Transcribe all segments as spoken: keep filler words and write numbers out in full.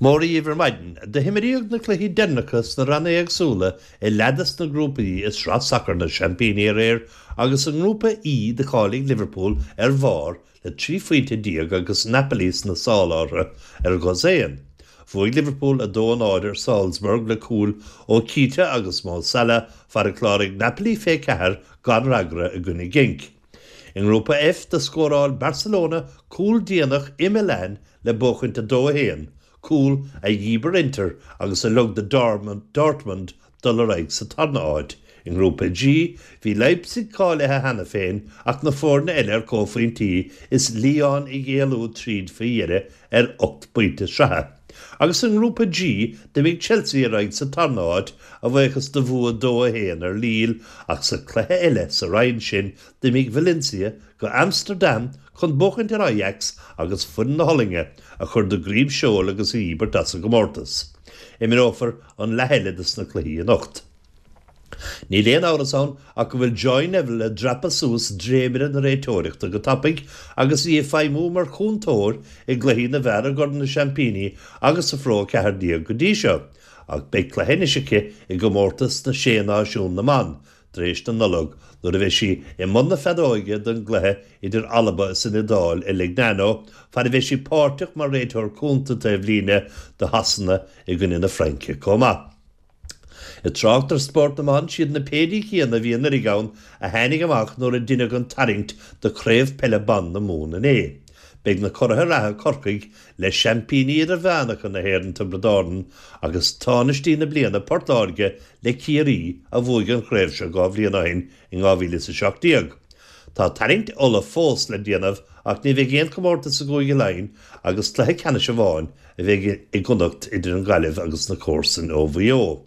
Móra dhíbh ar maidin, do himríodh na cluichí deireanacha sna ranna éagsúla i leath des na grúpaí i sraith sacair na seaimpíní aréir agus i ngrúpa E do cháiligh Liverpool ar bharr le trí phointe déag agus Napoli sna sála orthu ar dhosaen. Bhuaigh Liverpool a dó a náid ar Salzburg le cúil ó Keita agus Mo Salah fad a chláraigh Napoli fiche ceathair gan fhreagra i gcoinne Genk. I ngrúpa F do scóráil Barcelona cúl déanach i Milan le buachaint a dó a haon, cúl a dhíbir Inter agus a lig do Dortmund dul ar aghaidh sa tarna háit. I ngrúpa G bhí Leipzig cáilithe cheana féin ach na foirne eile ar comhphointí is Lyon ag éalú tríd faoi dheireadh ar ocht bpointe sraithe. Agus i ngrúpa G d'imigh Chelsea ar aghaidh sa tarna háit a bhuíochas do bhua dó a haon ar Lille ach sa chluiche eile sa roinn sin d'imigh Valencia go Amsterdam chun buachaint ar Ajax agus foireann na hOllainne a chur de dhroim seoil agus a dhíbirt as an gcomórtas. Imreofar an leath eile de sna cluichí anocht. Níl aon amhras ann ach go bhfuil Joy Neville ag dreapadh suas dréimire na réiteoireachta go tapaidh agus í ag feidhmiú mar chúntóir i gcluichí na bhfear i gCorn na Seaimpíní agus sa Phro ceathair déag go dtí seo, ach beidh cluiche anois aici i gcomórtas na Sé Náisiún na mBan tar éis na Nollag nuair a bheidh sí i mbun na feadóige don gcluiche idir Alba is an Iodáil i Lignano, fad a bheidh sí páirteach mar réiteoir cúnta taobhlíne do Shasana i gcoinne na Fraince chomh maith. I dtrácht ar spórt na mban siad na péirí céanna a bhí anuraidh ann a tháinig amach nuair a deineadh an tarraingt do chraobh peile ban na Mumhan inné. Beidh na curaithe reatha Corcaigh le seaimpíní idirmheánacha na hÉireann Tiobraid Árann agus tánaistí na bliana Port Láirge le Ciarraí a bhuaigh an chraobh seo dhá bhliain ó shin in dhá mhíle is a seacht déag. Tá tarraingt Uladh fós le déanamh ach ní bheidh aon chomórtas i gCúige Laighean agus cluiche ceannais amháin a bheidh i gConnacht idir an Ghaillimh agus na comharsain ó Mhaigh Eo.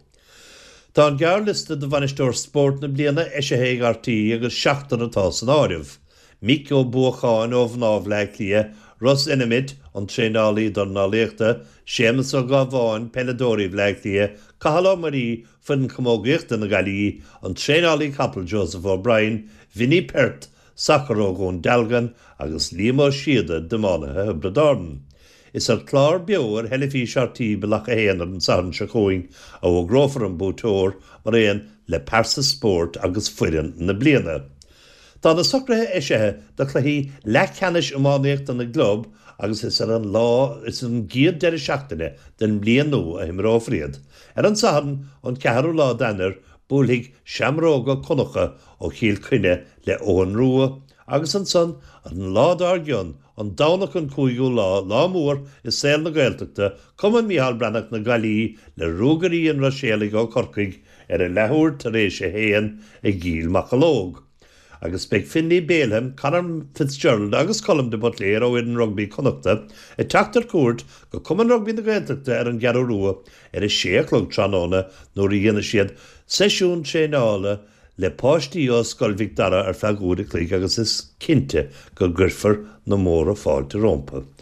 Tá an gearrliosta do bhainisteoir spóirt na bliana eisithe ag RTÉ agus seachtar atá san áireamh. Mick Ó Buacháin ó mhná Bhaile Átha Cliath, Russ Enimit, an traenálaí dornálaíochta, Séamus Ó Gábháin, peileadóirí Bhaile Átha Cliath, Cathal Ó Muirí, foireann chamógaíochta na Gaillimhe, an traenálaí capall Joseph O'Brien, Vinnie Perth, sacar ó Dhún Dealgan agus Liam Ó Síoda d'iománaithe Thiobraid Árann. Is ar chlár beo ar theilifís RTÉ Bealach a haon ar an Satharn seo chugainn a fhógrófar an buaiteoir mar aon le pearsa spóirt agus foireann na bliana. Tá na socruithe eisithe do chluichí leathcheannais iománaíochta na gclub agus is ar an lá is an gcéad deireadh seachtaine den mbliain nua a himreofar iad. Ar an Satharn an ceathrú lá d'Eanáir buailfidh Seamróga Connacha ó Chill Chainnigh le Eoghan Rua agus ansan an lá dár gcionn an Domhnach an cúigiú lá lá mór i saol na Gaeltachta Cumann Micheál Breathnach na Gaillimhe le Ruagairí an Ruiséalaigh ó Chorcaigh ar a leathuair tar éis a haon i gCill Mocheallóg. Agus beidh Finlay Bealham, Conor Fitzgerald agus Colm de Buitléir ó fhoireann rugbaí Connachta ag teacht ar cuairt go Cumann Rugbaí na Gaeltachta ar an gCeathrú Rua ar a sé a chlog tráthnóna nuair a dhéanfaidh siad seisiún traenála le páistí ó Scoil Mhic Dara ar feadh uair a chloig agus is cinnte go gcuirfear na móra fáilte rompu.